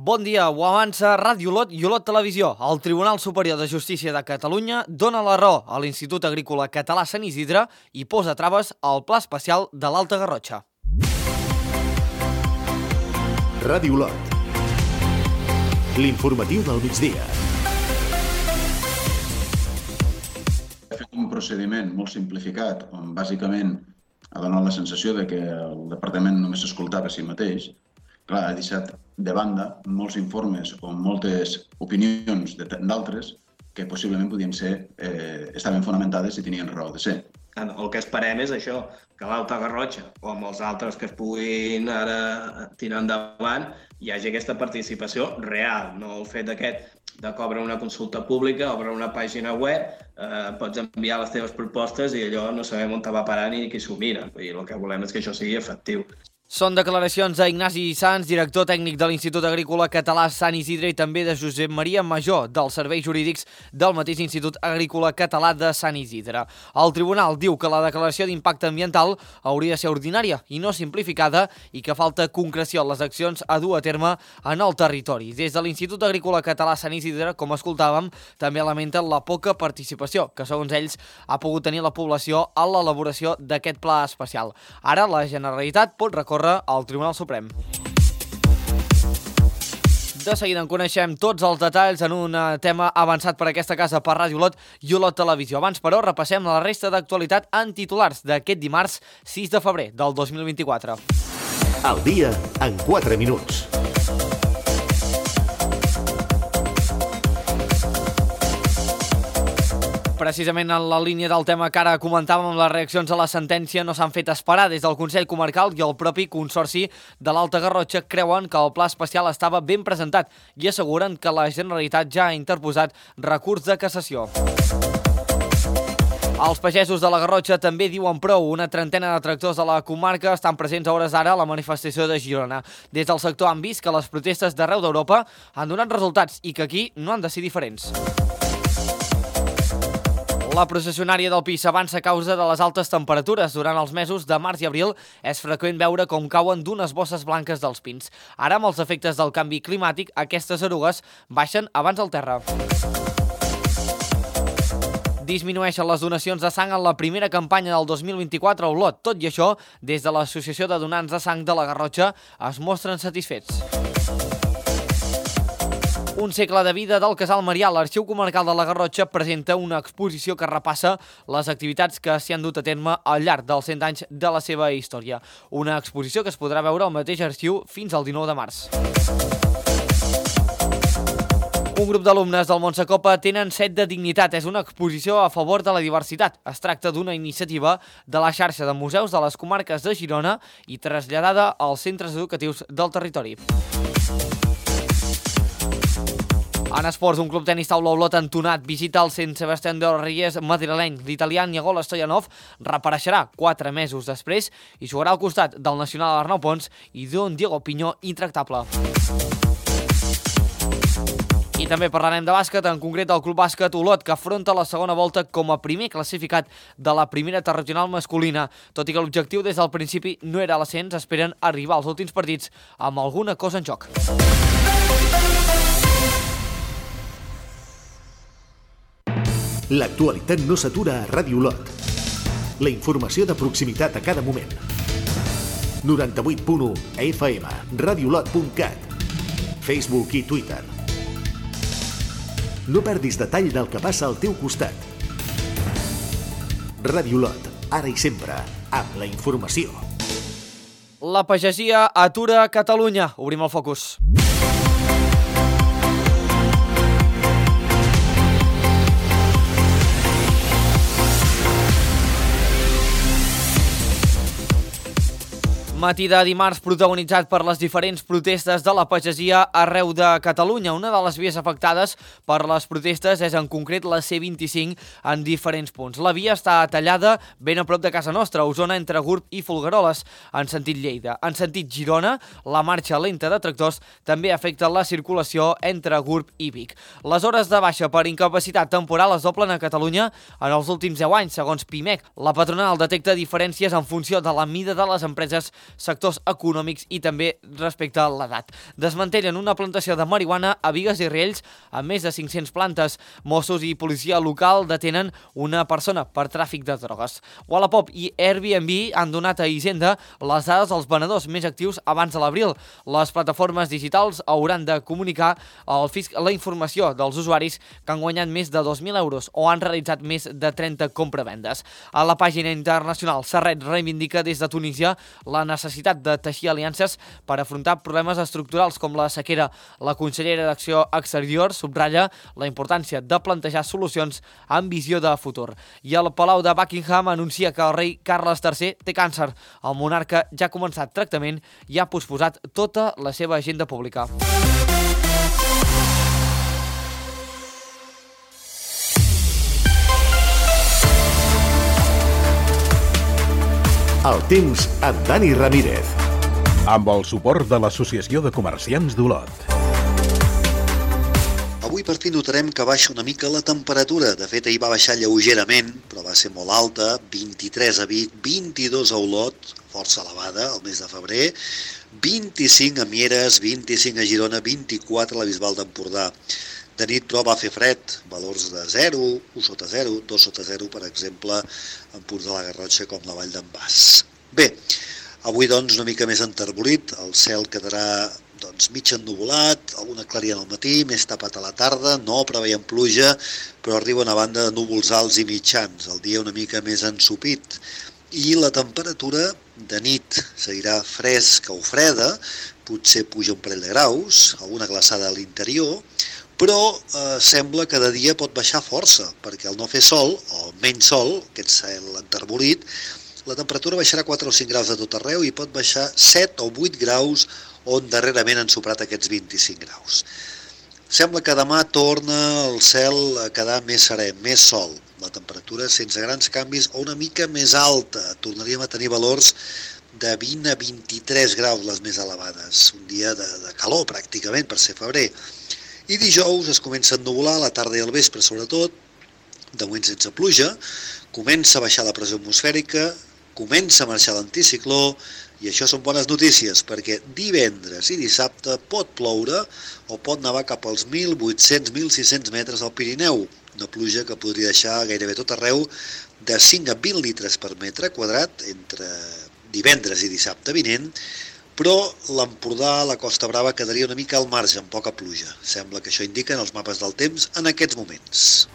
Bon dia, ho avança Ràdio Olot i Olot Televisió. El Tribunal Superior de Justícia de Catalunya dona la raó a l'Institut Agrícola Català Sant Isidre i posa traves al Pla Especial de l'Alta Garrotxa. Ràdio Olot. L'informatiu del migdia. He fet un procediment molt simplificat on bàsicament ha donat la sensació de que el departament només s'escoltava a si mateix. Clar, ha deixat de banda molts informes o moltes opinions d'altres que possiblement estaven fonamentades i tenien raó de ser. El que esperem és això, que l'Alta Garrotxa o amb els altres que es puguin ara tirar endavant hi hagi aquesta participació real, no el fet aquest de que obre una consulta pública, obre una pàgina web, pots enviar les teves propostes i allò no sabem on te va parar ni qui s'ho mira. El que volem és que això sigui efectiu. Són declaracions d'Ignasi Sans, director tècnic de l'Institut Agrícola Català Sant Isidre i també de Josep Maria Major, dels serveis jurídics del mateix Institut Agrícola Català de Sant Isidre. El tribunal diu que la declaració d'impacte ambiental hauria de ser ordinària i no simplificada i que falta concreció en les accions a dur a terme en el territori. Des de l'Institut Agrícola Català Sant Isidre, com escoltàvem, també lamenten la poca participació que, segons ells, ha pogut tenir la població a l'elaboració d'aquest pla especial. Ara la Generalitat pot recórrer al Tribunal Suprem. De seguida en coneixem tots els detalls en un tema avançat per aquesta casa per Ràdio Olot i Olot Televisió. Abans, però, repassem la resta d'actualitat en titulars d'aquest dimarts 6 de febrer del 2024. El dia en 4 minuts. Precisament en la línia del tema que ara comentàvem, les reaccions a la sentència no s'han fet esperar. Des del Consell Comarcal i el propi Consorci de l'Alta Garrotxa creuen que el pla especial estava ben presentat i asseguren que la Generalitat ja ha interposat recurs de cassació. Els pagesos de la Garrotxa també diuen prou. Una trentena de tractors de la comarca estan presents a hores d'ara a la manifestació de Girona. Des del sector han vist que les protestes d'arreu d'Europa han donat resultats i que aquí no han de ser diferents. La processionària del Pi s'avança a causa de les altes temperatures. Durant els mesos de març i abril és freqüent veure com cauen d'unes bosses blanques dels pins. Ara, amb els efectes del canvi climàtic, aquestes erugues baixen abans al terra. Disminueixen les donacions de sang en la primera campanya del 2024 a Olot. Tot i això, des de l'Associació de Donants de Sang de la Garrotxa es mostren satisfets. Un segle de vida del Casal Marià. L'Arxiu Comarcal de la Garrotxa presenta una exposició que repassa les activitats que s'hi han dut a terme al llarg dels 100 anys de la seva història. Una exposició que es podrà veure al mateix arxiu fins al 19 de març. Un grup d'alumnes del Montsecopa tenen set de dignitat. És una exposició a favor de la diversitat. Es tracta d'una iniciativa de la xarxa de museus de les comarques de Girona i traslladada als centres educatius del territori. En esports, un club tenis taula Olot entonat visita el Sant Sebastián de los Reyes madrileny. L'italià Nicola Stoyanov reapareixerà 4 mesos després i jugarà al costat del nacional Arnau Pons i d'un Diego Piñó intractable. I també parlarem de bàsquet, en concret del Club Bàsquet Olot, que afronta la segona volta com a primer classificat de la primera territorial masculina. Tot i que l'objectiu des del principi no era l'ascens, esperen arribar als últims partits amb alguna cosa en joc. L'actualitat no s'atura a Ràdio Olot. La informació de proximitat a cada moment. 98.1 FM, radioolot.cat, Facebook i Twitter. No perdis detall del que passa al teu costat. Ràdio Olot, ara i sempre, amb la informació. La pagesia atura Catalunya. Obrim el focus. Matí de dimarts protagonitzat per les diferents protestes de la pagesia arreu de Catalunya. Una de les vies afectades per les protestes és en concret la C25 en diferents punts. La via està tallada ben a prop de casa nostra, a Osona, entre Gurb i Folgueroles, en sentit Lleida. En sentit Girona, la marxa lenta de tractors també afecta la circulació entre Gurb i Vic. Les hores de baixa per incapacitat temporal es doblen a Catalunya en els últims 10 anys, segons PIMEC. La patronal detecta diferències en funció de la mida de les empreses sectors econòmics i també respecte a l'edat. Desmantellen una plantació de marihuana a Bigues i Riells amb més de 500 plantes. Mossos i policia local detenen una persona per tràfic de drogues. Wallapop i Airbnb han donat a Hisenda les dades dels venedors més actius abans de l'abril. Les plataformes digitals hauran de comunicar al fisc la informació dels usuaris que han guanyat més de 2.000 euros o han realitzat més de 30 compravendes. A la pàgina internacional, Serret reivindica des de Tunísia la necessitat de teixir aliances per afrontar problemes estructurals com la sequera. La consellera d'Acció Exterior subratlla la importància de plantejar solucions amb visió de futur. I el Palau de Buckingham anuncia que el rei Carles III té càncer. El monarca ja ha començat tractament i ha posposat tota la seva agenda pública. El temps amb Dani Ramírez. Amb el suport de l'Associació de Comerciants d'Olot. Avui per fi notarem que baixa una mica la temperatura. De fet, ahir va baixar lleugerament, però va ser molt alta, 23 a Vic, 22 a Olot, força elevada, al mes de febrer, 25 a Mieres, 25 a Girona, 24 a la Bisbal d'Empordà. De nit, però, va fer fred, valors de 0, 1 sota 0, 2 sota 0, per exemple, en punts de la Garrotxa com la Vall d'en Bas. Bé, avui, doncs, una mica més enterbolit, el cel quedarà mig ennuvolat, alguna claria al matí, més tapat a la tarda, no preveiem pluja, però arriba una banda de núvols alts i mitjans, el dia una mica més ensopit. I la temperatura de nit seguirà fresca o freda, potser puja un parell de graus, alguna glaçada a l'interior, però sembla que de dia pot baixar força, perquè al no fer sol, o menys sol, aquest cel enterbolit, la temperatura baixarà 4 o 5 graus de tot arreu i pot baixar 7 o 8 graus on darrerament han superat aquests 25 graus. Sembla que demà torna el cel a quedar més serè, més sol. La temperatura sense grans canvis o una mica més alta. Tornaríem a tenir valors de 20 a 23 graus les més elevades. Un dia de calor pràcticament per ser febrer. I dijous es comença a ennuvolar, a la tarda i al vespre sobretot, de moment sense pluja, comença a baixar la pressió atmosfèrica, comença a marxar l'anticicló, i això són bones notícies, perquè divendres i dissabte pot ploure o pot nevar cap als 1.800-1.600 metres al Pirineu, una pluja que podria deixar gairebé tot arreu de 5 a 20 litres per metre quadrat entre divendres i dissabte vinent, però l'Empordà, la Costa Brava, quedaria una mica al marge, amb poca pluja. Sembla que això indiquen els mapes del temps en aquests moments.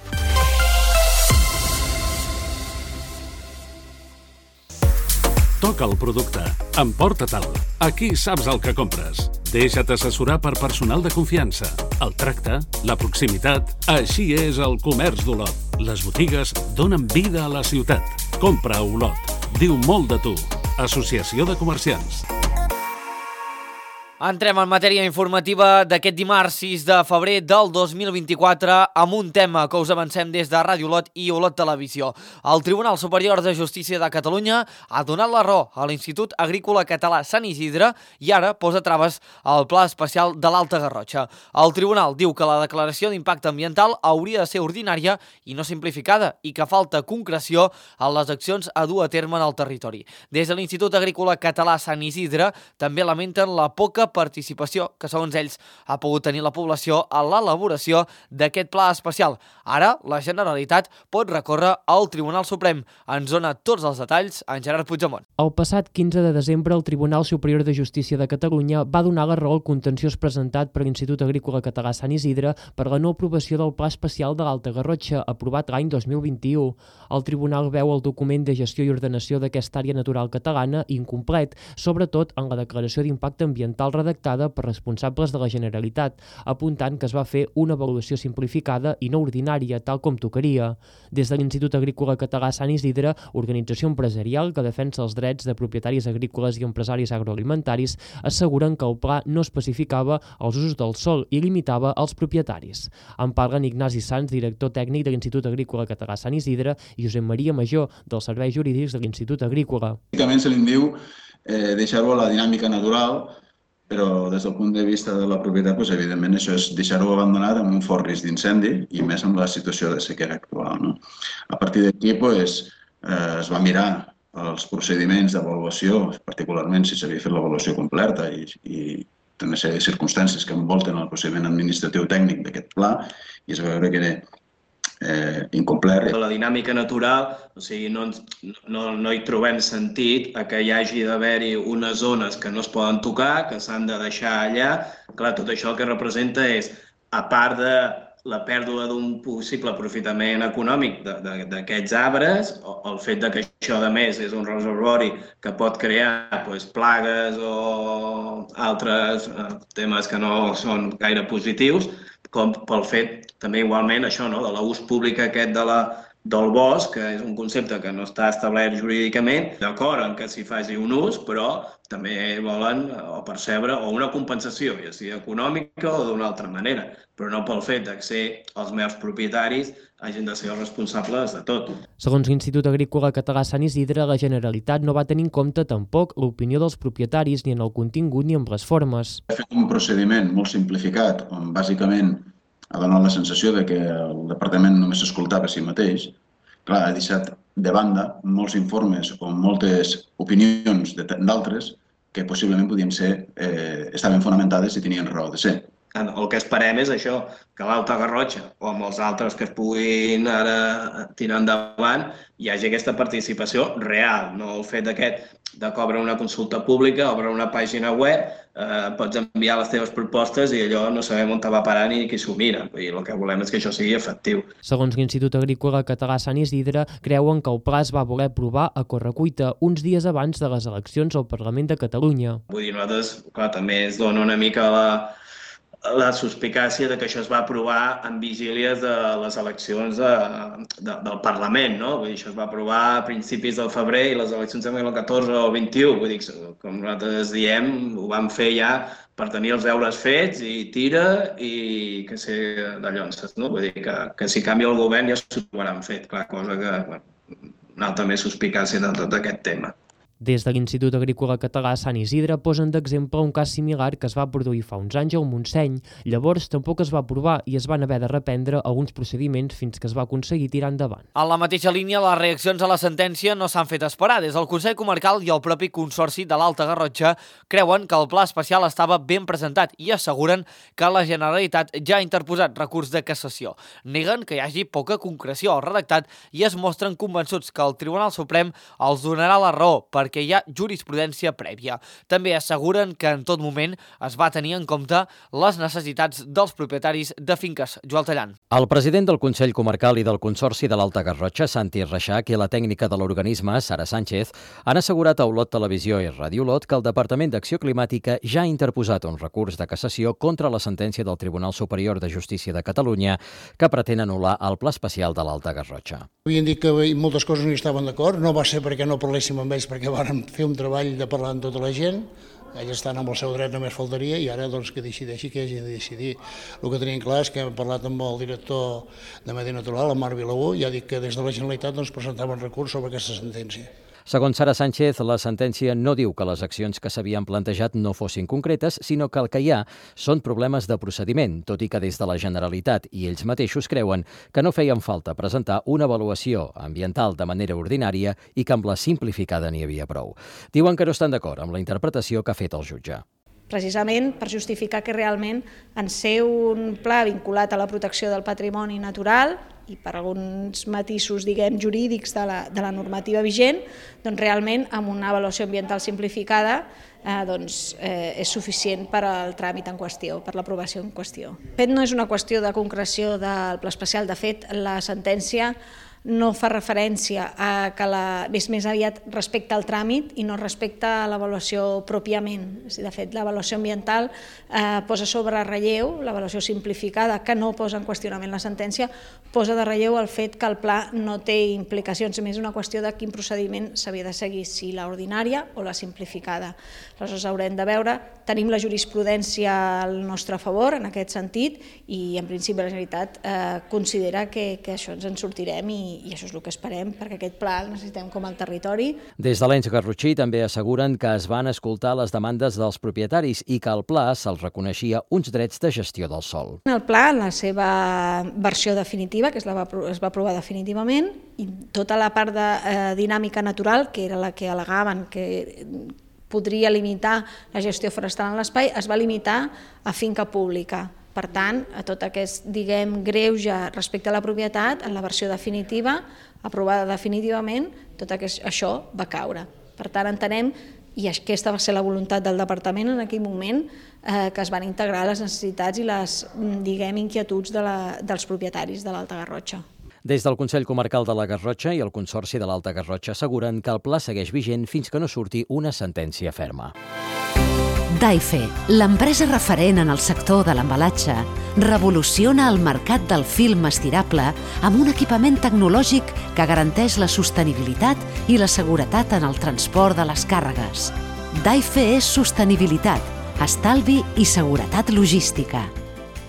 Toca el producte. Emporta-te'l. Aquí saps el que compres. Deixa't assessorar per personal de confiança. El tracte, la proximitat... Així és el comerç d'Olot. Les botigues donen vida a la ciutat. Compra a Olot. Diu molt de tu. Associació de Comerciants. Entrem en matèria informativa d'aquest dimarts 6 de febrer del 2024 amb un tema que us avancem des de Ràdio Olot i Olot Televisió. El Tribunal Superior de Justícia de Catalunya ha donat la raó a l'Institut Agrícola Català Sant Isidre i ara posa traves al Pla Especial de l'Alta Garrotxa. El Tribunal diu que la declaració d'impacte ambiental hauria de ser ordinària i no simplificada i que falta concreció en les accions a dur a terme en el territori. Des de l'Institut Agrícola Català Sant Isidre també lamenten la poca participació que, segons ells, ha pogut tenir la població a l'elaboració d'aquest pla especial. Ara, la Generalitat pot recórrer al Tribunal Suprem. Ens dona tots els detalls en Gerard Puigdemont. El passat 15 de desembre, el Tribunal Superior de Justícia de Catalunya va donar la raó al contenciós presentat per l'Institut Agrícola Català Sant Isidre per la no aprovació del Pla Especial de l'Alta Garrotxa, aprovat l'any 2021. El Tribunal veu el document de gestió i ordenació d'aquesta àrea natural catalana incomplet, sobretot en la declaració d'impacte ambiental redactada per responsables de la Generalitat, apuntant que es va fer una avaluació simplificada i no ordinària, tal com tocaria. Des de l'Institut Agrícola Català Sant Isidre, organització empresarial que defensa els drets de propietaris agrícoles i empresaris agroalimentaris, asseguren que el pla no especificava els usos del sòl i limitava els propietaris. En parlen Ignasi Sans, director tècnic de l'Institut Agrícola Català Sant Isidre, i Josep Maria Major, dels Serveis Jurídics de l'Institut Agrícola. Bàsicament se li diu deixar-ho a la dinàmica natural, però des del punt de vista de la propietat, evidentment, això és deixar-ho abandonat amb un fort risc d'incendi i més amb la situació de sequera actual. A partir d'aquí es va mirar els procediments d'avaluació, particularment si s'havia fet l'avaluació completa i una sèrie de circumstàncies que envolten el procediment administratiu tècnic d'aquest pla, i es va veure que era incomplert. La dinàmica natural, o sigui, no hi trobem sentit a que hi hagi d'haver-hi unes zones que no es poden tocar, que s'han de deixar allà. Clar, tot això el que representa és, a part de la pèrdua d'un possible aprofitament econòmic d'aquests arbres, el fet que això, a més, és un reservori que pot crear plagues o altres temes que no són gaire positius, com pel fet, també igualment, això, de l'ús públic aquest del bosc, que és un concepte que no està establert jurídicament, d'acord en que s'hi faci un ús, però també volen percebre una compensació, ja sigui econòmica o d'una altra manera, però no pel fet que ser els meus propietaris hagin de ser els responsables de tot. Segons l'Institut Agrícola Català Sant Isidre, la Generalitat no va tenir en compte tampoc l'opinió dels propietaris ni en el contingut ni en les formes. Ha fet un procediment molt simplificat, on bàsicament ha donat la sensació que el departament només s'escoltava a si mateix. Clar, ha deixat de banda molts informes o moltes opinions d'altres que possiblement podien estaven fonamentades i tenien raó de ser. El que esperem és això, que l'Alta Garrotxa o amb els altres que es puguin ara tirar endavant hi hagi aquesta participació real, no el fet de que obre una consulta pública, obre una pàgina web, pots enviar les teves propostes i allò no sabem on te va parar ni qui s'ho mira. El que volem és que això sigui efectiu. Segons l'Institut Agrícola Català Sant Isidre, creuen que el pla es va voler aprovar a correcuita uns dies abans de les eleccions al Parlament de Catalunya. Vull dir, nosaltres, clar, també es dona una mica la suspicàcia que això es va aprovar en vigílies de les eleccions del Parlament, no? Vull dir, això es va aprovar a principis del febrer i les eleccions també el 14 o el 21. Vull dir, com nosaltres diem, ho vam fer ja per tenir els deures fets i tira i que ser de llonces, no? Vull dir que si canvia el govern ja s'ho trobaran fet, clar, cosa que una altra més suspicàcia de tot aquest tema. Des de l'Institut Agrícola Català Sant Isidre posen d'exemple un cas similar que es va produir fa uns anys al Montseny. Llavors tampoc es va aprovar i es van haver de reprendre alguns procediments fins que es va aconseguir tirar endavant. En la mateixa línia, les reaccions a la sentència no s'han fet esperar. Des del Consell Comarcal i el propi Consorci de l'Alta Garrotxa creuen que el pla especial estava ben presentat i asseguren que la Generalitat ja ha interposat recurs de cassació. Neguen que hi hagi poca concreció al redactat i es mostren convençuts que el Tribunal Suprem els donarà la raó perquè hi ha jurisprudència prèvia. També asseguren que en tot moment es va tenir en compte les necessitats dels propietaris de finques. Joel Tallant. El president del Consell Comarcal i del Consorci de l'Alta Garrotxa, Santi Reixac, i la tècnica de l'organisme, Sara Sánchez, han assegurat a Olot Televisió i Ràdio Olot que el Departament d'Acció Climàtica ja ha interposat un recurs de cassació contra la sentència del Tribunal Superior de Justícia de Catalunya que pretén anul·lar el pla especial de l'Alta Garrotxa. Havien dit que moltes coses no hi estaven d'acord, no va ser perquè no parléssim amb ells, perquè vàrem fer un treball de parlar amb tota la gent, ells estan amb el seu dret, només faltaria, i ara doncs, que decideixi que hagi de decidir. El que tenim clar és que hem parlat amb el director de Medi Natural, el Marc Vilaú, i ha dit que des de la Generalitat doncs, presentaven recurs sobre aquesta sentència. Segons Sara Sánchez, la sentència no diu que les accions que s'havien plantejat no fossin concretes, sinó que el que hi ha són problemes de procediment, tot i que des de la Generalitat i ells mateixos creuen que no feien falta presentar una avaluació ambiental de manera ordinària i que amb la simplificada n'hi havia prou. Diuen que no estan d'acord amb la interpretació que ha fet el jutge. Precisament per justificar que realment en ser un pla vinculat a la protecció del patrimoni natural i per alguns matisos, diguem, jurídics de la normativa vigent, doncs realment amb una avaluació ambiental simplificada és suficient per al tràmit en qüestió, per l'aprovació en qüestió. De fet, no és una qüestió de concreció del pla especial, de fet, la sentència no fa referència a que és més aviat respecte al tràmit i no respecte a l'avaluació pròpiament. De fet, l'avaluació ambiental posa sobre relleu, l'avaluació simplificada, que no posa en qüestionament la sentència, posa de relleu el fet que el pla no té implicacions, més una qüestió de quin procediment s'havia de seguir, si l'ordinària o la simplificada. Aleshores haurem de veure, tenim la jurisprudència al nostre favor en aquest sentit i en principi la Generalitat considera que això ens en sortirem i això és el que esperem, perquè aquest pla el necessitem com al territori. Des de l'ens garrotxí també asseguren que es van escoltar les demandes dels propietaris i que al pla se'ls reconeixia uns drets de gestió del sòl. El pla, en la seva versió definitiva, que es va aprovar definitivament, i tota la part de dinàmica natural, que era la que al·legaven que podria limitar la gestió forestal en l'espai, es va limitar a finca pública. Per tant, a tot aquest, greuge respecte a la propietat, en la versió definitiva, aprovada definitivament, tot això va caure. Per tant, entenem, i aquesta va ser la voluntat del departament en aquell moment, que es van integrar les necessitats i les, inquietuds dels propietaris de l'Alta Garrotxa. Des del Consell Comarcal de la Garrotxa i el Consorci de l'Alta Garrotxa asseguren que el pla segueix vigent fins que no surti una sentència ferma. Daife, l'empresa referent en el sector de l'embalatge, revoluciona el mercat del film estirable amb un equipament tecnològic que garanteix la sostenibilitat i la seguretat en el transport de les càrregues. Daife és sostenibilitat, estalvi i seguretat logística.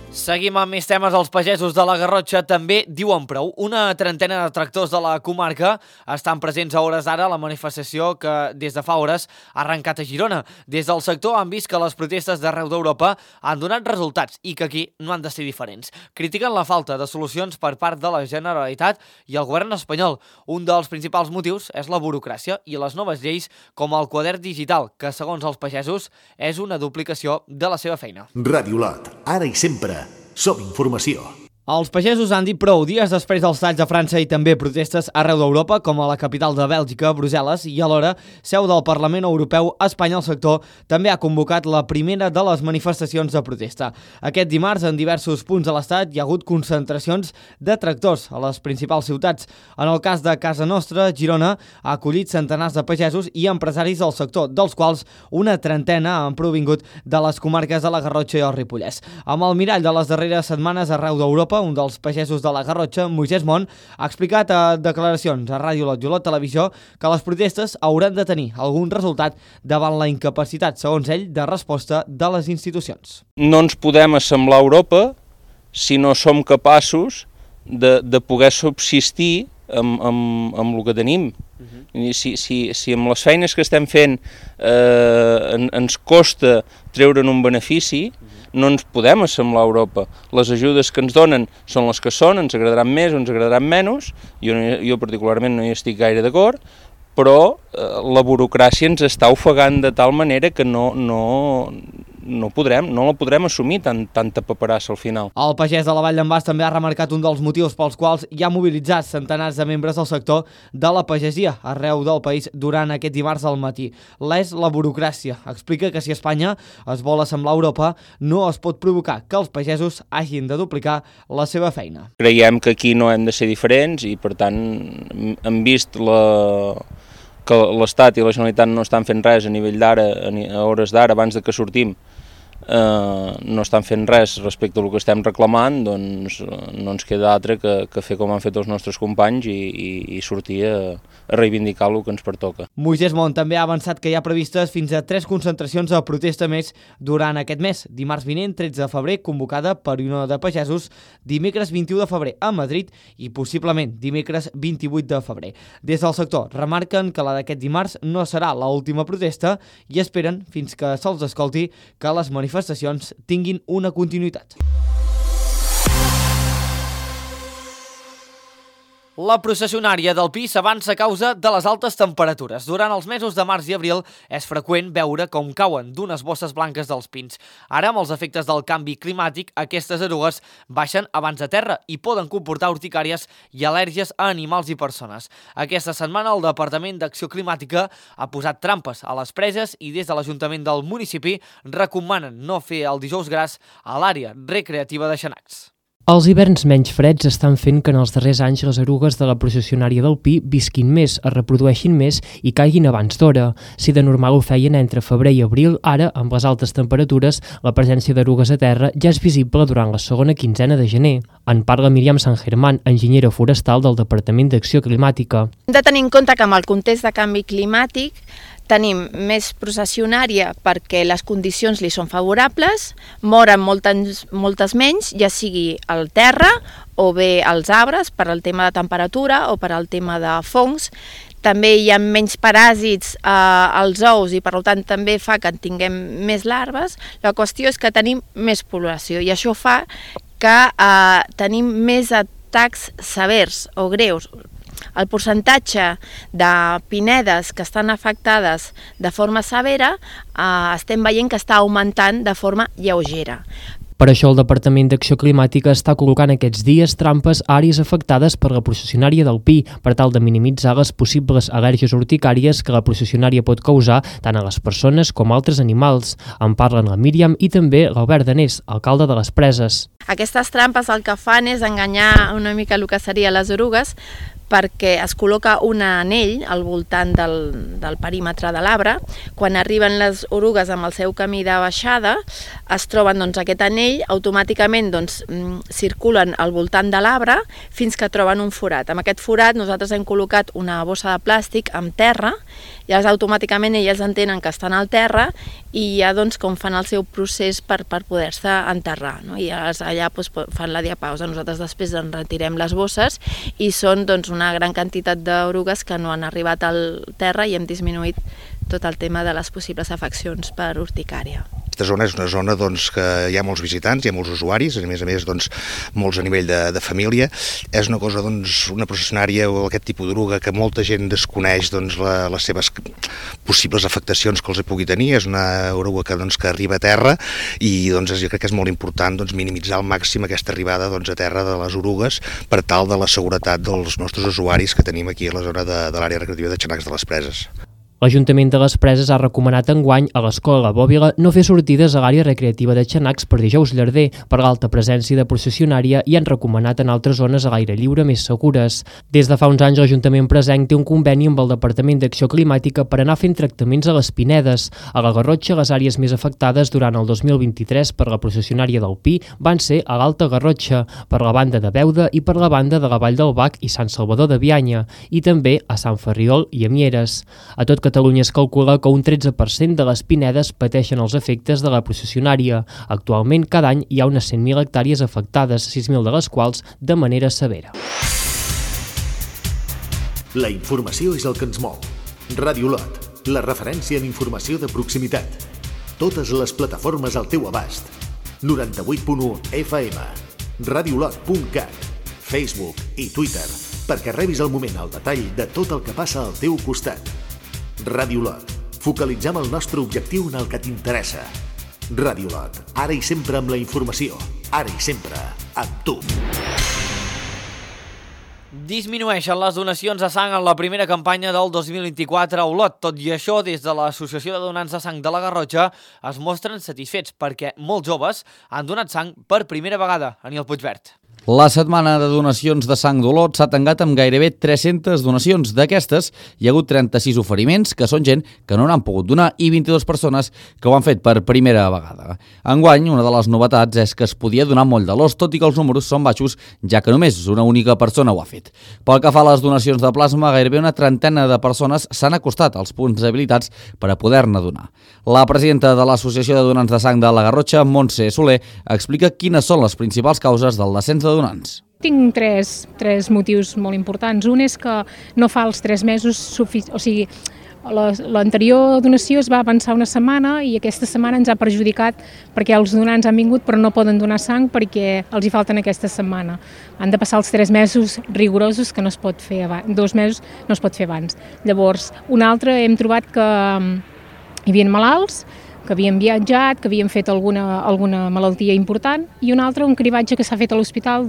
Seguim amb més temes. Els pagesos de la Garrotxa també diuen prou. Una trentena de tractors de la comarca estan presents a hores d'ara a la manifestació que des de fa hores ha arrencat a Girona. Des del sector han vist que les protestes d'arreu d'Europa han donat resultats i que aquí no han de ser diferents. Critiquen la falta de solucions per part de la Generalitat i el govern espanyol. Un dels principals motius és la burocràcia i les noves lleis com el quadern digital, que segons els pagesos és una duplicació de la seva feina. Ràdio Lot, ara i sempre. Som informació. Els pagesos han dit prou dies després dels talls a França i també protestes arreu d'Europa, com a la capital de Bèlgica, Brussel·les, i alhora, seu del Parlament Europeu, Espanya, el sector també ha convocat la primera de les manifestacions de protesta. Aquest dimarts, en diversos punts de l'Estat, hi ha hagut concentracions de tractors a les principals ciutats. En el cas de casa nostra, Girona ha acollit centenars de pagesos i empresaris del sector, dels quals una trentena han provingut de les comarques de la Garrotxa i el Ripollès. Amb el mirall de les darreres setmanes arreu d'Europa, un dels pagesos de la Garrotxa, Moisès Mont, ha explicat a declaracions a Ràdio Lot i Olot Televisió que les protestes hauran de tenir algun resultat davant la incapacitat, segons ell, de resposta de les institucions. No ens podem assemblar a Europa si no som capaços de poder subsistir amb el que tenim. Si amb les feines que estem fent ens costa treure'n un benefici, no ens podem assemblar a Europa. Les ajudes que ens donen són les que són, ens agradaran més o ens agradaran menys, jo particularment no hi estic gaire d'acord, però la burocràcia ens està ofegant de tal manera que no la podrem assumir tanta paperassa al final. El pagès de la Vall d'en Bas també ha remarcat un dels motius pels quals hi ha mobilitzat centenars de membres del sector de la pagesia arreu del país durant aquest dimarts al matí. És la burocràcia. Explica que si Espanya es vol assemblar a Europa, no es pot provocar que els pagesos hagin de duplicar la seva feina. Creiem que aquí no hem de ser diferents i, per tant, hem vist que l'Estat i la Generalitat no estan fent res a nivell d'ara, a hores d'ara, abans de que sortim, no estan fent res respecte al que estem reclamant, doncs no ens queda altre que fer com han fet els nostres companys i sortir a reivindicar el que ens pertoca. Moisès Mont també ha avançat que hi ha previstes fins a 3 concentracions de protesta més durant aquest mes. Dimarts vinent, 13 de febrer, convocada per Unió de Pagesos, dimecres 21 de febrer a Madrid i possiblement dimecres 28 de febrer. Des del sector remarquen que la d'aquest dimarts no serà l'última protesta i esperen fins que se'ls escolti que les manifestacions tinguin una continuïtat. La processionària del Pi s'avança a causa de les altes temperatures. Durant els mesos de març i abril és freqüent veure com cauen d'unes bosses blanques dels pins. Ara, amb els efectes del canvi climàtic, aquestes erugues baixen abans de terra i poden comportar urticàries i al·lèrgies a animals i persones. Aquesta setmana el Departament d'Acció Climàtica ha posat trampes a les preses i des de l'Ajuntament del municipi recomanen no fer el dijous gras a l'àrea recreativa de Xanacs. Els hiverns menys freds estan fent que en els darrers anys les erugues de la processionària del Pi visquin més, es reprodueixin més i caiguin abans d'hora. Si de normal ho feien entre febrer i abril, ara, amb les altes temperatures, la presència d'erugues a terra ja és visible durant la segona quinzena de gener. En parla Míriam San Germán, enginyera forestal del Departament d'Acció Climàtica. Hem de tenir en compte que amb el context de canvi climàtic tenim més processionària perquè les condicions li són favorables, moren moltes menys, ja sigui al terra o bé als arbres per al tema de temperatura o per al tema de fongs. També hi ha menys paràsits als ous i per tant també fa que en tinguem més larves. La qüestió és que tenim més població i això fa que tenim més atacs severs o greus. el percentatge de pinedes que estan afectades de forma severa estem veient que està augmentant de forma lleugera. Per això el Departament d'Acció Climàtica està col·locant aquests dies trampes a àrees afectades per la processionària del Pi per tal de minimitzar les possibles al·lèrgies urticàries que la processionària pot causar tant a les persones com a altres animals. En parlen la Míriam i també l'Albert Danés, alcalde de les Preses. Aquestes trampes el que fan és enganyar una mica el que seria les orugues, perquè es col·loca un anell al voltant del perímetre de l'arbre. Quan arriben les orugues amb el seu camí de baixada, es troben aquest anell, automàticament circulen al voltant de l'arbre fins que troben un forat. Amb aquest forat nosaltres hem col·locat una bossa de plàstic amb terra, i automàticament elles entenen que estan al terra i ja com fan el seu procés per poder-se enterrar. I allà fan la diapausa. Nosaltres després en retirem les bosses i són una gran quantitat d'orugues que no han arribat al terra i hem disminuït tot el tema de les possibles afeccions per urticària. Aquesta zona és una zona que hi ha molts visitants, hi ha molts usuaris, a més molts a nivell de família. És una cosa, una processionària o aquest tipus d'oruga que molta gent desconeix les seves possibles afectacions que els pugui tenir. És una oruga que arriba a terra i jo crec que és molt important minimitzar al màxim aquesta arribada a terra de les orugues per tal de la seguretat dels nostres usuaris que tenim aquí a la zona de l'àrea recreativa de Xanacs de les Preses. L'Ajuntament de les Preses ha recomanat enguany a l'Escola La Bòbila no fer sortides a l'àrea recreativa de Xanacs per dijous llarder per l'alta presència de processionària i han recomanat en altres zones a l'aire lliure més segures. Des de fa uns anys l'Ajuntament presenc té un conveni amb el Departament d'Acció Climàtica per anar fent tractaments a les pinedes. A la Garrotxa, les àrees més afectades durant el 2023 per la processionària del Pi van ser a l'Alta Garrotxa, per la banda de Beuda i per la banda de la Vall del Bac i Sant Salvador de Bianya, i també a Sant Ferriol i a Mieres. A tot Catalunya es calcula que un 13% de les pinedes pateixen els efectes de la processionària. Actualment, cada any hi ha unes 100.000 hectàrees afectades, 6.000 de les quals de manera severa. La informació és el que ens mou. Ràdio Lot, la referència en informació de proximitat. Totes les plataformes al teu abast. 98.1 FM, radiolot.cat, Facebook i Twitter, perquè rebis al moment el detall de tot el que passa al teu costat. Ràdio Lot. Focalitzem el nostre objectiu en el que t'interessa. Ràdio Lot. Ara i sempre amb la informació. Ara i sempre amb tu. Disminueixen les donacions de sang en la primera campanya del 2024 a Olot. Tot i això, des de l'Associació de Donants de Sang de la Garrotxa es mostren satisfets perquè molts joves han donat sang per primera vegada. Aniel Puigvert. La setmana de donacions de sang d'Olot s'ha tancat amb gairebé 300 donacions. D'aquestes, hi ha hagut 36 oferiments, que són gent que no n'han pogut donar, i 22 persones que ho han fet per primera vegada. Enguany, una de les novetats és que es podia donar moll de l'os, tot i que els números són baixos, ja que només una única persona ho ha fet. Pel que fa a les donacions de plasma, gairebé una trentena de persones s'han acostat als punts habilitats per a poder-ne donar. La presidenta de l'Associació de Donants de Sang de la Garrotxa, Montse Soler, explica quines són les principals causes del descens de donants. Tinc tres motius molt importants. Un és que no fa els 3 mesos, l'anterior donació es va avançar una setmana i aquesta setmana ens ha perjudicat perquè els donants han vingut però no poden donar sang perquè els hi falten aquesta setmana. Han de passar els 3 mesos rigorosos que no es pot fer abans, 2 mesos no es pot fer abans. Llavors, un altre, hem trobat que hi havia malalts, que havien viatjat, que havien fet alguna malaltia important, i un altre, un cribatge que s'ha fet a l'hospital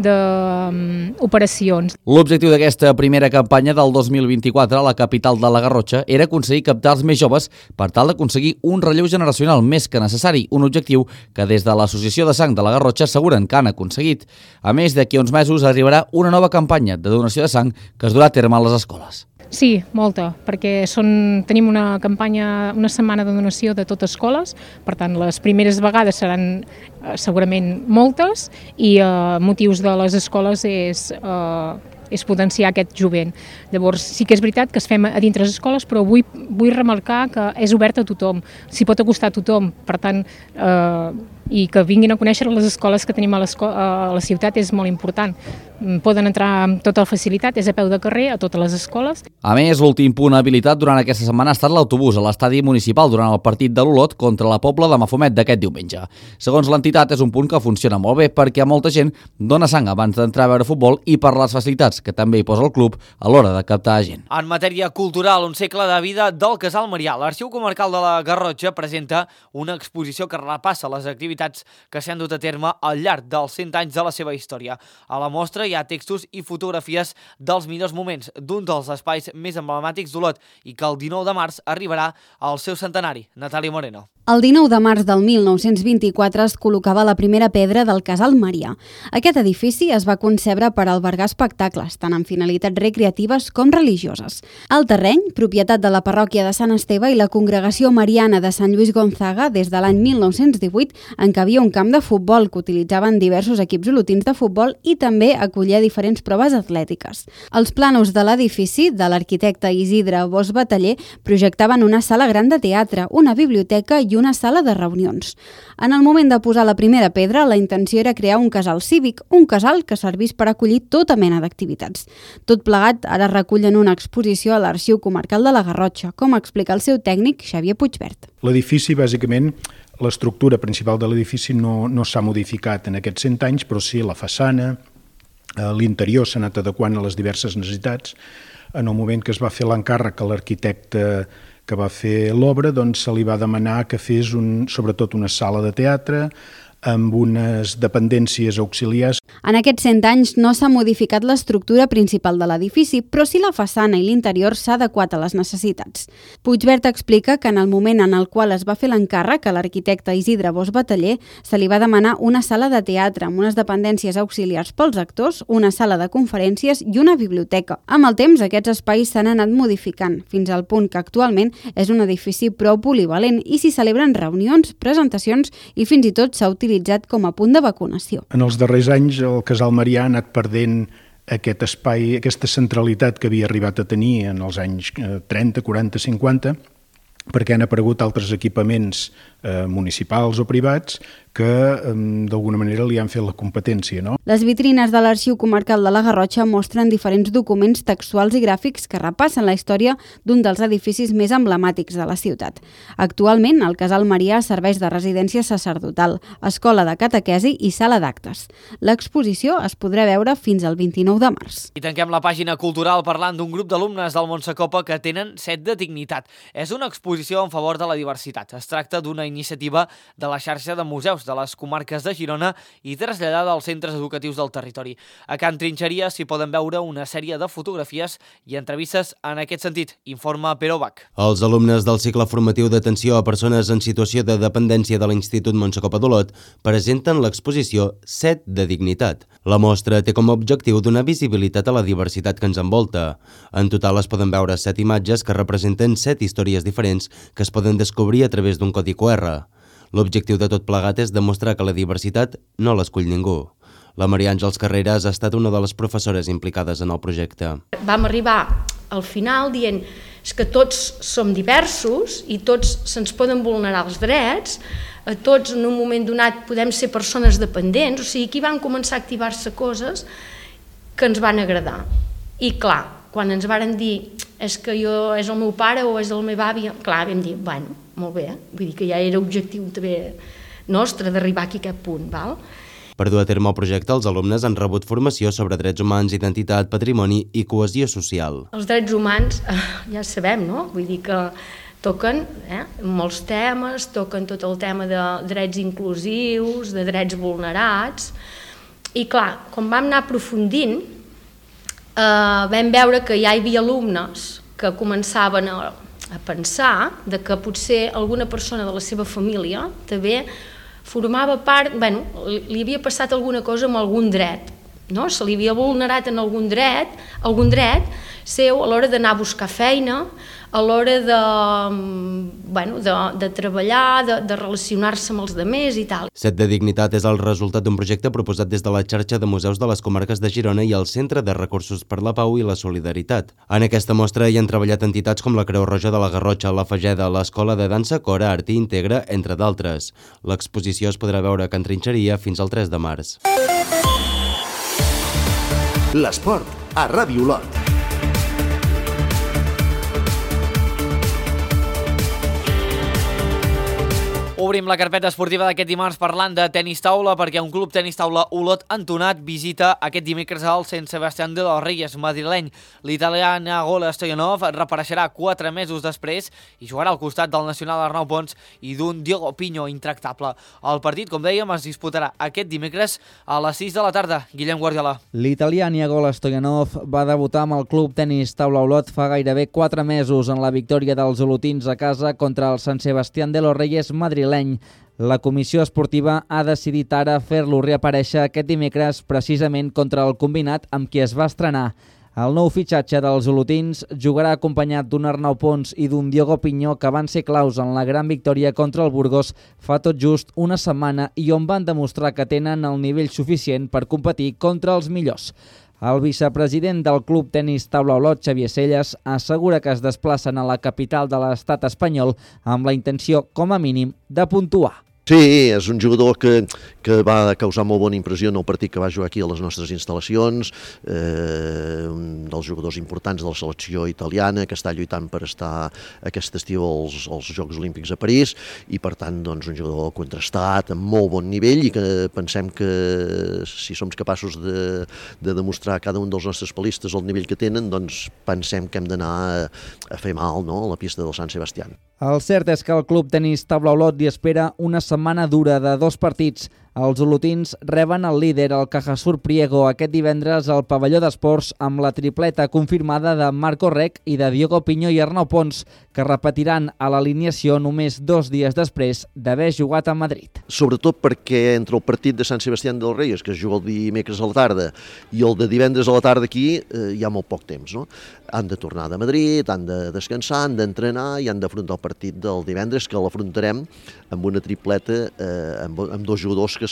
d'operacions. L'objectiu d'aquesta primera campanya del 2024 a la capital de la Garrotxa era aconseguir captar els més joves per tal d'aconseguir un relleu generacional més que necessari, un objectiu que des de l'Associació de Sang de la Garrotxa asseguren que han aconseguit. A més, d'aquí a uns mesos arribarà una nova campanya de donació de sang que es durà a terme a les escoles. Sí, molta, perquè tenim una campanya, una setmana de donació de totes escoles, per tant les primeres vegades seran segurament moltes i motius de les escoles és potenciar aquest jovent. Llavors sí que és veritat que es fem a dintre les escoles, però vull remarcar que és obert a tothom, s'hi pot acostar a tothom, per tant i que vinguin a conèixer les escoles que tenim a la ciutat és molt important. Poden entrar amb tota la facilitat, és a peu de carrer a totes les escoles. A més, l'últim punt habilitat durant aquesta setmana ha estat l'autobús a l'estadi municipal durant el partit de l'Olot contra la Pobla de Mafumet d'aquest diumenge. Segons l'entitat, és un punt que funciona molt bé perquè molta gent dona sang abans d'entrar a veure futbol i per les facilitats que també hi posa el club a l'hora de captar gent. En matèria cultural, un segle de vida del Casal Marià. L'Arxiu Comarcal de la Garrotxa presenta una exposició que repassa les activitats que s'han dut a terme al llarg dels 100 anys de la seva història. A la mostra hi ha textos i fotografies dels millors moments d'un dels espais més emblemàtics d'Olot i que el 19 de març arribarà al seu centenari. Natàlia Moreno. El 19 de març del 1924 es col·locava la primera pedra del Casal Marià. Aquest edifici es va concebre per albergar espectacles, tant amb finalitats recreatives com religioses. El terreny, propietat de la parròquia de Sant Esteve i la Congregació Mariana de Sant Lluís Gonzaga des de l'any 1918, en què havia un camp de futbol que utilitzaven diversos equips olotins de futbol i també acollia diferents proves atlètiques. Els plànols de l'edifici, de l'arquitecte Isidre Bosch Bataller, projectaven una sala gran de teatre, una biblioteca i una sala de reunions. En el moment de posar la primera pedra, la intenció era crear un casal cívic, un casal que servís per acollir tota mena d'activitats. Tot plegat ara recull en una exposició a l'Arxiu Comarcal de la Garrotxa, com explica el seu tècnic Xavier Puigvert. L'edifici, bàsicament, l'estructura principal de l'edifici no s'ha modificat en aquests 100 anys, però sí la façana, l'interior s'ha anat adequant a les diverses necessitats. En el moment que es va fer l'encàrrec a l'arquitecte que va fer l'obra, doncs se li va demanar que fes sobretot una sala de teatre amb unes dependències auxiliars. En aquests 100 anys no s'ha modificat l'estructura principal de l'edifici, però sí la façana i l'interior s'ha adequat a les necessitats. Puigvert explica que en el moment en el qual es va fer l'encàrrec a l'arquitecte Isidre Bosch Bataller, se li va demanar una sala de teatre amb unes dependències auxiliars pels actors, una sala de conferències i una biblioteca. Amb el temps, aquests espais s'han anat modificant, fins al punt que actualment és un edifici prou polivalent i s'hi celebren reunions, presentacions i fins i tot s'ha utilitzat com a punt de vacunació. En els darrers anys el Casal Marià ha anat perdent aquest espai, aquesta centralitat que havia arribat a tenir en els anys 30, 40, 50, perquè han aparegut altres equipaments municipals o privats que d'alguna manera li han fet la competència, no? Les vitrines de l'Arxiu Comarcal de la Garrotxa mostren diferents documents textuals i gràfics que repassen la història d'un dels edificis més emblemàtics de la ciutat. Actualment, el Casal Marià serveix de residència sacerdotal, escola de catequesi i sala d'actes. L'exposició es podrà veure fins al 29 de març. I tanquem la pàgina cultural parlant d'un grup d'alumnes del Montsecopa que tenen set de dignitat. És una exposició en favor de la diversitat. Es tracta d'una iniciativa de la xarxa de museus de les comarques de Girona i traslladada als centres educatius del territori. A Can Trinxeria s'hi poden veure una sèrie de fotografies i entrevistes en aquest sentit, informa Pere Bach. Els alumnes del cicle formatiu d'atenció a persones en situació de dependència de l'Institut Montsecopa d'Olot presenten l'exposició Set de dignitat. La mostra té com a objectiu donar visibilitat a la diversitat que ens envolta. En total es poden veure 7 imatges que representen 7 històries diferents que es poden descobrir a través d'un codi QR. L'objectiu de tot plegat és demostrar que la diversitat no l'escull ningú. La Maria Àngels Carreras ha estat una de les professores implicades en el projecte. Vam arribar al final dient que tots som diversos i tots se'ns poden vulnerar els drets, a tots en un moment donat podem ser persones dependents, o sigui, aquí van començar a activar-se coses que ens van agradar. I clar, quan ens varen dir és que és el meu pare o és la meva àvia, clar, vam dir, bueno, molt bé, vull dir que ja era objectiu també nostre d'arribar aquí a aquest punt, val? Per dur a terme el projecte, els alumnes han rebut formació sobre drets humans, identitat, patrimoni i cohesió social. Els drets humans, ja sabem, no? Vull dir que toquen molts temes, toquen tot el tema de drets inclusius, de drets vulnerats, i clar, quan vam anar aprofundint, vam veure que ja hi havia alumnes que començaven a pensar de que potser alguna persona de la seva família també formava part, li havia passat alguna cosa amb algun dret, no? Se li havia vulnerat en algun dret seu a l'hora d'anar a buscar feina, a l'hora de treballar, de relacionar-se amb els altres i tal. Set de Dignitat és el resultat d'un projecte proposat des de la xarxa de museus de les comarques de Girona i el Centre de Recursos per la Pau i la Solidaritat. En aquesta mostra hi han treballat entitats com la Creu Roja de la Garrotxa, la Fageda, l'Escola de Dansa Cora, Art i Integra, entre d'altres. L'exposició es podrà veure a Can Trinxeria fins al 3 de març. L'esport a Ràdio Olot. Obrim la carpeta esportiva d'aquest dimarts parlant de tenis taula perquè un club tenis taula Olot entonat visita aquest dimecres al Sant Sebastián de los Reyes madrileny. L'italià Nicola Stoyanov reapareixerà 4 mesos després i jugarà al costat del nacional Arnau Pons i d'un Diogo Pinho intractable. El partit, com dèiem, es disputarà aquest dimecres a les 6 de la tarda. Guillem Guardiola. L'italià Nicola Stoyanov va debutar amb el club tenis taula Olot fa gairebé 4 mesos en la victòria dels olotins a casa contra el Sant Sebastián de los Reyes madrileny. La comissió esportiva ha decidit ara fer-lo reaparèixer aquest dimecres precisament contra el combinat amb qui es va estrenar. El nou fitxatge dels olotins jugarà acompanyat d'un Arnau Pons i d'un Diogo Pinho que van ser claus en la gran victòria contra el Burgos fa tot just una setmana i on van demostrar que tenen el nivell suficient per competir contra els millors. El vicepresident del Club Tenis Taula Olot, Xavier Selles, assegura que es desplacen a la capital de l'estat espanyol amb la intenció, com a mínim, de puntuar. Sí, és un jugador que va causar molt bona impressió en el partit que va jugar aquí a les nostres instal·lacions, un dels jugadors importants de la selecció italiana que està lluitant per estar aquest estiu als Jocs Olímpics a París i per tant doncs, un jugador contrastat, amb molt bon nivell i que pensem que si som capaços de demostrar a cada un dels nostres palistes el nivell que tenen, doncs pensem que hem d'anar a fer mal, no?, a la pista del Sant Sebastián. El cert és que el Club Tenis Taula Olot li espera una setmana dura de 2 partits. Els olotins reben el líder, el Cajasur Priego, aquest divendres al pavelló d'esports amb la tripleta confirmada de Marco Rec i de Diogo Pinho i Arnau Pons, que repetiran a l'alineació només 2 dies després d'haver jugat a Madrid. Sobretot perquè entre el partit de Sant Sebastián dels Reyes, que es juga el dimecres a la tarda, i el de divendres a la tarda aquí, hi ha molt poc temps, no? Han de tornar de Madrid, han de descansar, han d'entrenar i han d'afrontar el partit del divendres, que l'afrontarem amb una tripleta, amb 2 jugadors que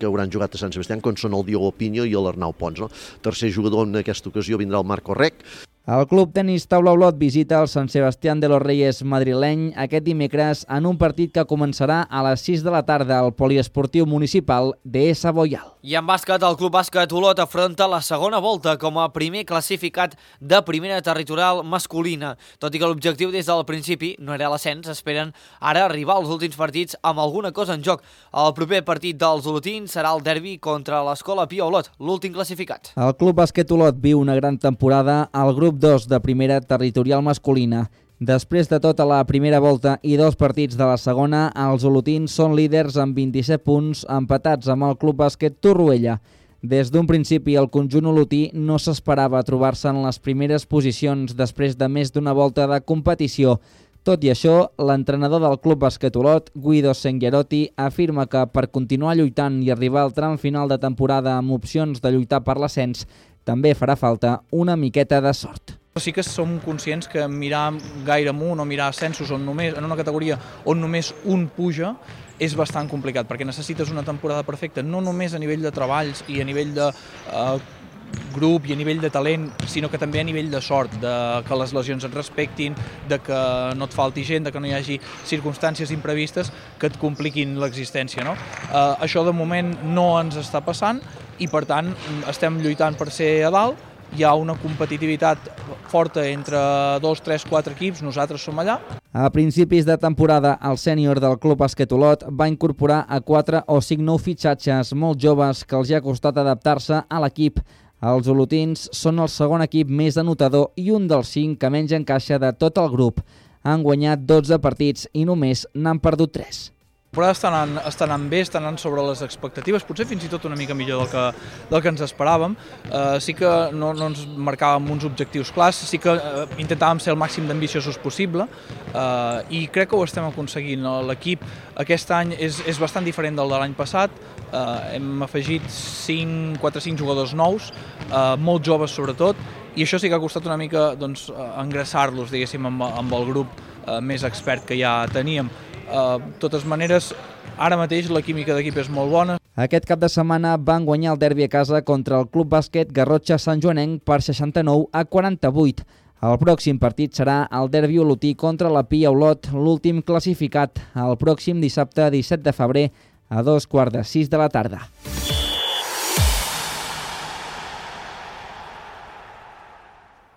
hauran jugat a Sant Sebastián, com són el Diogo Pinho i l'Arnau Pons. No? Tercer jugador en aquesta ocasió vindrà el Marco Rec. El Club Tenis Taula Olot visita el Sant Sebastián de los Reyes madrileny aquest dimecres en un partit que començarà a les 6 de la tarda al poliesportiu municipal de Boial. I en bàsquet, el Club Bàsquet Olot afronta la segona volta com a primer classificat de primera territorial masculina. Tot i que l'objectiu des del principi no era l'ascens, esperen ara arribar als últims partits amb alguna cosa en joc. El proper partit dels olotins serà el derbi contra l'Escola Pia Olot, l'últim classificat. El Club Bàsquet Olot viu una gran temporada al grup 2 de primera territorial masculina. Després de tota la primera volta i 2 partits de la segona, els olotins són líders amb 27 punts, empatats amb el Club Bàsquet Torroella. Des d'un principi, el conjunt olotí no s'esperava trobar-se en les primeres posicions després de més d'una volta de competició. Tot i això, l'entrenador del Club Bàsquet Olot, Guido Senghierotti, afirma que per continuar lluitant i arribar al tram final de temporada amb opcions de lluitar per l'ascens, també farà falta una miqueta de sort. Sí que som conscients que mirar gaire amunt o mirar ascensos en una categoria on només un puja és bastant complicat, perquè necessites una temporada perfecta, no només a nivell de treballs i a nivell de grup i a nivell de talent, sinó que també a nivell de sort, de que les lesions et respectin, de que no et falti gent, de que no hi hagi circumstàncies imprevistes que et compliquin l'existència. No? Això de moment no ens està passant i per tant estem lluitant per ser a dalt. Hi ha una competitivitat forta entre 2, 3, 4 equips, nosaltres som allà. A principis de temporada, el sènior del Club Bàsquet Olot va incorporar a 4 o 5 nous fitxatges molt joves que els hi ha costat adaptar-se a l'equip. Els olotins són el segon equip més anotador i un dels 5 que menys encaixa de tot el grup. Han guanyat 12 partits i només n'han perdut 3. La temporada està anant bé, està anant sobre les expectatives, potser fins i tot una mica millor del que ens esperàvem. Sí que no ens marcàvem uns objectius clars, sí que intentàvem ser el màxim d'ambiciosos possible i crec que ho estem aconseguint. L'equip aquest any és bastant diferent del de l'any passat, hem afegit 4 o 5 jugadors nous, molt joves sobretot, i això sí que ha costat una mica engreixar-los, diguéssim, amb el grup més expert que ja teníem. De totes maneres, ara mateix la química d'equip és molt bona. Aquest cap de setmana van guanyar el derbi a casa contra el Club Bàsquet Garrotxa Sant Joanenc per 69-48. El pròxim partit serà el derbi olotí contra la Pia Olot, l'últim classificat, el pròxim dissabte 17 de febrer a 5:45 de la tarda.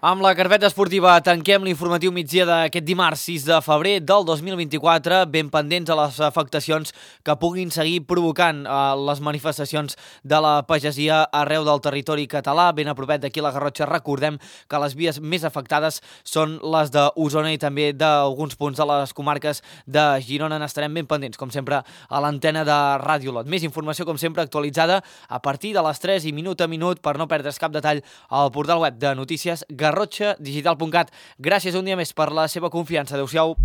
Amb la carpeta esportiva tanquem l'informatiu migdia d'aquest dimarts 6 de febrer del 2024, ben pendents a les afectacions que puguin seguir provocant les manifestacions de la pagesia arreu del territori català. Ben a propet d'aquí la Garrotxa, recordem que les vies més afectades són les d'Osona i també d'alguns punts de les comarques de Girona. N'estarem ben pendents, com sempre, a l'antena de Ràdio Olot. Més informació, com sempre, actualitzada a partir de les 3 i minut a minut, per no perdre's cap detall, al portal web de notícies garrotxadigital.cat. Gràcies un dia més per la seva confiança. Adéu-siau.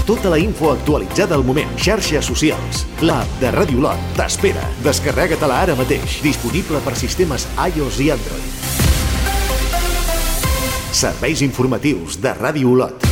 Tota la info actualitzada al moment. Xarxes socials. L'app de Ràdio Olot t'espera. Descarrega-te-la ara mateix. Disponible per sistemes iOS i Android. Serveis informatius de Ràdio Olot.